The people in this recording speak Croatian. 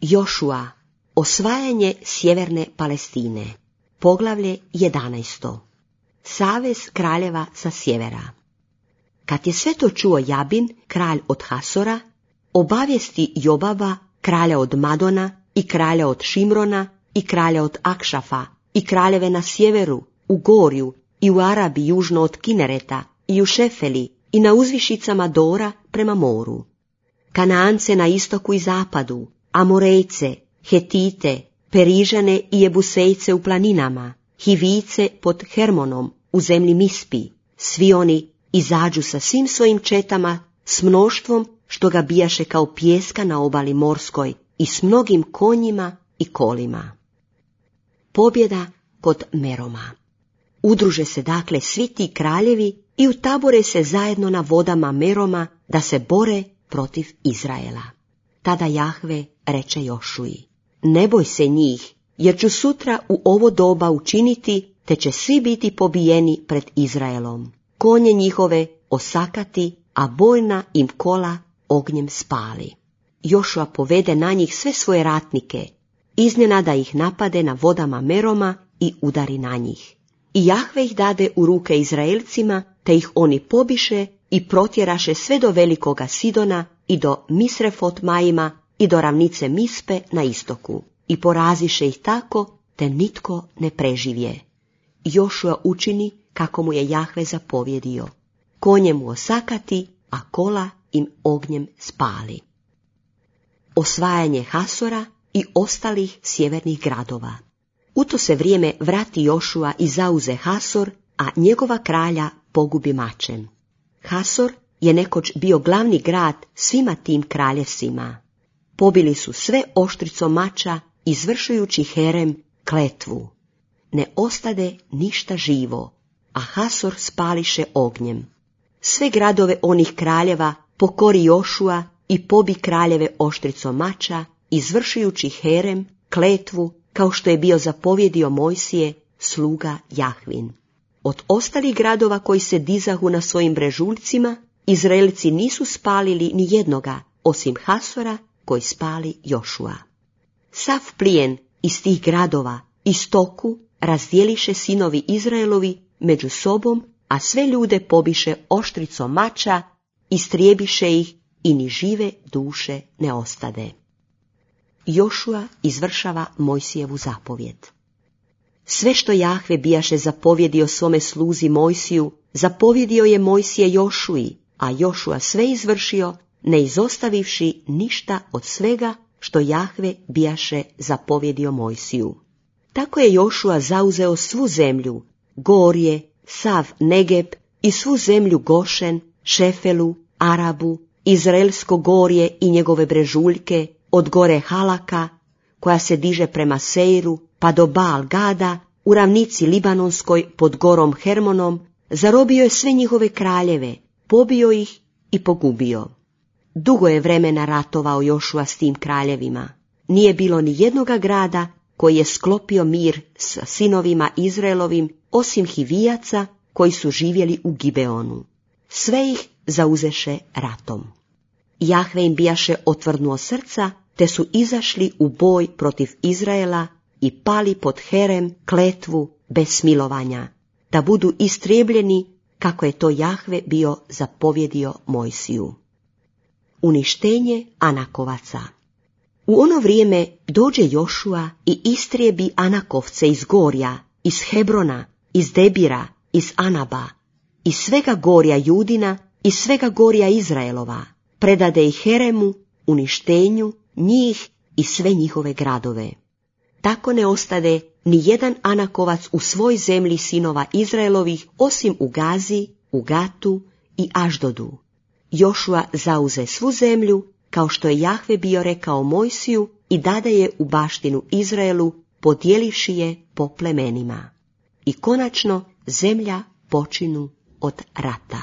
Jošua, osvajanje sjeverne Palestine. Poglavlje 11. Savez kraljeva sa sjevera. Kad je sve to čuo Jabin, kralj od Hasora, obavijesti Jobaba, kralja od Madona, i kralja od Šimrona, i kralja od Akšafa, i kraljeve na sjeveru, u Gorju, i u Arabi južno od Kinereta, i u Šefeli, i na uzvišicama Dora prema moru. Kanaance na istoku i zapadu, Amorejce, Hetite, Perižane i Jebusejce u planinama, Hivice pod Hermonom u zemlji Mispi. Svi oni izađu sa svim svojim četama, s mnoštvom što ga bijaše kao pijeska na obali morskoj i s mnogim konjima i kolima. Pobjeda kod Meroma. Udruže se dakle svi ti kraljevi i utabore se zajedno na vodama Meroma da se bore protiv Izraela. Tada Jahve reče Jošuji: ne boj se njih, jer ću sutra u ovo doba učiniti, te će svi biti pobijeni pred Izraelom. Konje njihove osakati, a bojna im kola ognjem spali. Jošua povede na njih sve svoje ratnike, iznenada ih napade na vodama Meroma i udari na njih. I Jahve ih dade u ruke Izraelcima, te ih oni pobiše i protjeraše sve do velikoga Sidona i do Misrefot Majima i do ravnice Mispe na istoku. I poraziše ih tako, te nitko ne preživje. Jošua učini kako mu je Jahve zapovjedio. Konje mu osakati, a kola im ognjem spali. Osvajanje Hasora i ostalih sjevernih gradova. U to se vrijeme vrati Jošua i zauze Hasor, a njegova kralja pogubi mačem. Hasor je nekoć bio glavni grad svima tim kraljevstvima. Pobili su sve oštricom mača, izvršujući Herem kletvu. Ne ostade ništa živo, a Hasor spališe ognjem. Sve gradove onih kraljeva pokori Jošua i pobi kraljeve oštricom mača, izvršujući Herem kletvu, kao što je bio zapovjedio Mojsije, sluga Jahvin. Od ostalih gradova koji se dizahu na svojim brežuljcima, Izraelci nisu spalili ni jednoga, osim Hasora, koji spali Jošua. Sav plijen iz tih gradova i stoku razdjeliše sinovi Izraelovi među sobom, a sve ljude pobiše oštricom mača, istrijebiše ih i ni žive duše ne ostade. Jošua izvršava Mojsijevu zapovjed. Sve što Jahve bijaše zapovjedio svome sluzi Mojsiju, zapovjedio je Mojsije Jošuji, a Jošua sve izvršio, ne izostavivši ništa od svega što Jahve bijaše zapovjedio Mojsiju. Tako je Jošua zauzeo svu zemlju, Gorje, sav Negeb i svu zemlju Gošen, Šefelu, Arabu, Izraelsko gorje i njegove brežuljke, od gore Halaka, koja se diže prema Seiru, pa do Baal Gada, u ravnici Libanonskoj pod gorom Hermonom, zarobio je sve njihove kraljeve, pobio ih i pogubio. Dugo je vremena ratovao Jošua s tim kraljevima. Nije bilo ni jednoga grada koji je sklopio mir sa sinovima Izraelovim, osim Hivijaca koji su živjeli u Gibeonu. Sve ih zauzeše ratom. Jahve im bijaše otvrdnuo srca, te su izašli u boj protiv Izraela i pali pod Herem kletvu bez smilovanja, da budu istrijebljeni kako je to Jahve bio zapovjedio Mojsiju. Uništenje Anakovaca. U ono vrijeme dođe Jošua i istrijebi Anakovce iz Gorja, iz Hebrona, iz Debira, iz Anaba, iz svega Gorja Judina i svega Gorja Izraelova, predade ih Heremu, uništenju, njih i sve njihove gradove. Tako ne ostade ni jedan Anakovac u svoj zemlji sinova Izraelovih, osim u Gazi, u Gatu i Aždodu. Jošua zauze svu zemlju, kao što je Jahve bio rekao Mojsiju, i dade je u baštinu Izraelu, podijelivši je po plemenima. I konačno zemlja počinu od rata.